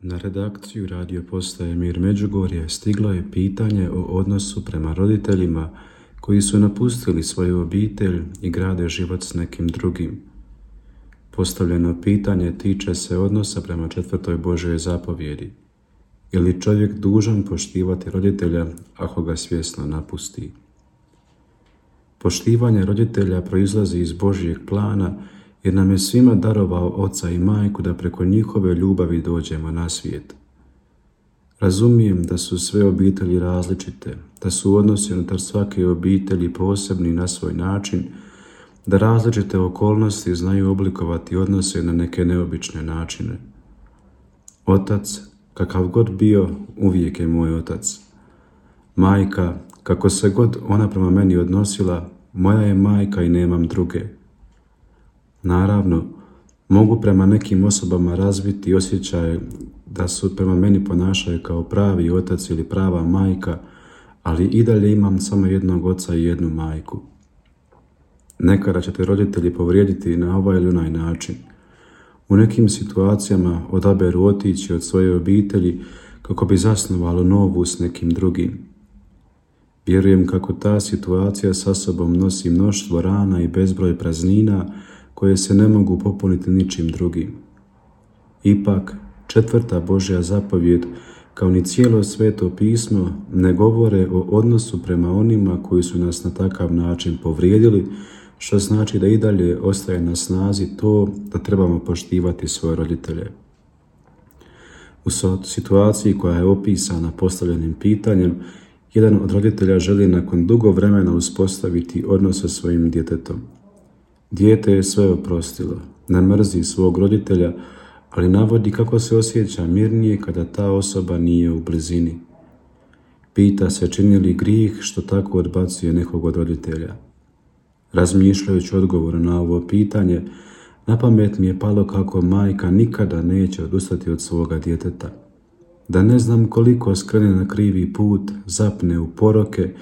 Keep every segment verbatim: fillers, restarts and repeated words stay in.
Na redakciju radio postaje Mir Međugorje stiglo je pitanje o odnosu prema roditeljima koji su napustili svoju obitelj i grade život s nekim drugim. Postavljeno pitanje tiče se odnosa prema četvrtoj Božjoj zapovjedi. Je li čovjek dužan poštivati roditelja ako ga svjesno napusti? Poštivanje roditelja proizlazi iz Božjeg plana jer nam je svima darovao oca i majku da preko njihove ljubavi dođemo na svijet. Razumijem da su sve obitelji različite, da su odnosi unutar svake obitelji posebni na svoj način, da različite okolnosti znaju oblikovati odnose na neke neobične načine. Otac, kakav god bio, uvijek je moj otac. Majka, kako se god ona prema meni odnosila, moja je majka i nemam druge. Naravno, mogu prema nekim osobama razviti osjećaj da su prema meni ponašaju kao pravi otac ili prava majka, ali i dalje imam samo jednog oca i jednu majku. Nekada će te roditelji povrijediti na ovaj ili onaj način. U nekim situacijama odaberu otići od svoje obitelji kako bi zasnovalo novu s nekim drugim. Vjerujem kako ta situacija sa sobom nosi mnoštvo rana i bezbroj praznina koje se ne mogu popuniti ničim drugim. Ipak, četvrta Božja zapovjed, kao ni cijelo Sveto pismo, ne govore o odnosu prema onima koji su nas na takav način povrijedili, što znači da i dalje ostaje na snazi to da trebamo poštivati svoje roditelje. U situaciji koja je opisana postavljenim pitanjem, jedan od roditelja želi nakon dugo vremena uspostaviti odnos sa svojim djetetom. Dijete je sve oprostilo, ne mrzi svog roditelja, ali navodi kako se osjeća mirnije kada ta osoba nije u blizini. Pita se čini li grijeh što tako odbacuje nekog od roditelja. Razmišljajući odgovor na ovo pitanje, na pamet mi je palo kako majka nikada neće odustati od svoga djeteta. Da ne znam koliko skrene na krivi put, zapne u poroke,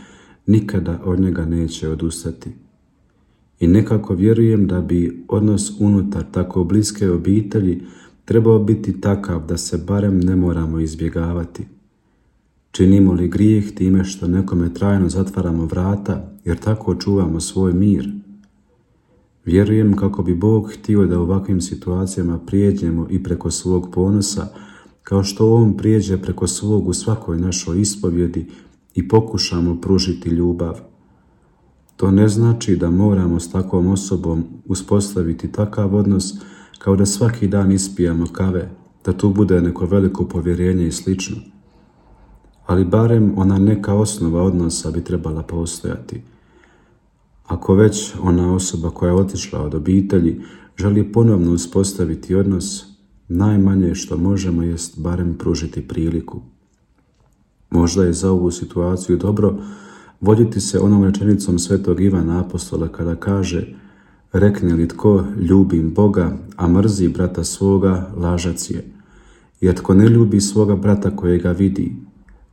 nikada od njega neće odustati. I nekako vjerujem da bi odnos unutar tako bliske obitelji trebao biti takav da se barem ne moramo izbjegavati. Činimo li grijeh time što nekome trajno zatvaramo vrata jer tako čuvamo svoj mir? Vjerujem kako bi Bog htio da u ovakvim situacijama prijeđemo i preko svog ponosa, kao što On prijeđe preko svog u svakoj našoj ispovjedi i pokušamo pružiti ljubav. To ne znači da moramo s takvom osobom uspostaviti takav odnos kao da svaki dan ispijamo kave, da tu bude neko veliko povjerenje i slično. Ali barem ona neka osnova odnosa bi trebala postojati. Ako već ona osoba koja je otišla od obitelji želi ponovno uspostaviti odnos, najmanje što možemo jest barem pružiti priliku. Možda je za ovu situaciju dobro voditi se onom rečenicom svetog Ivana Apostola kada kaže: rekne li tko ljubim Boga, a mrzi brata svoga, lažac je. Jer tko ne ljubi svoga brata kojega vidi,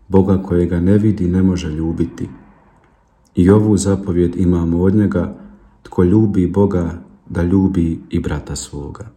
Boga kojega ne vidi ne može ljubiti. I ovu zapovjed imamo od njega: tko ljubi Boga, da ljubi i brata svoga.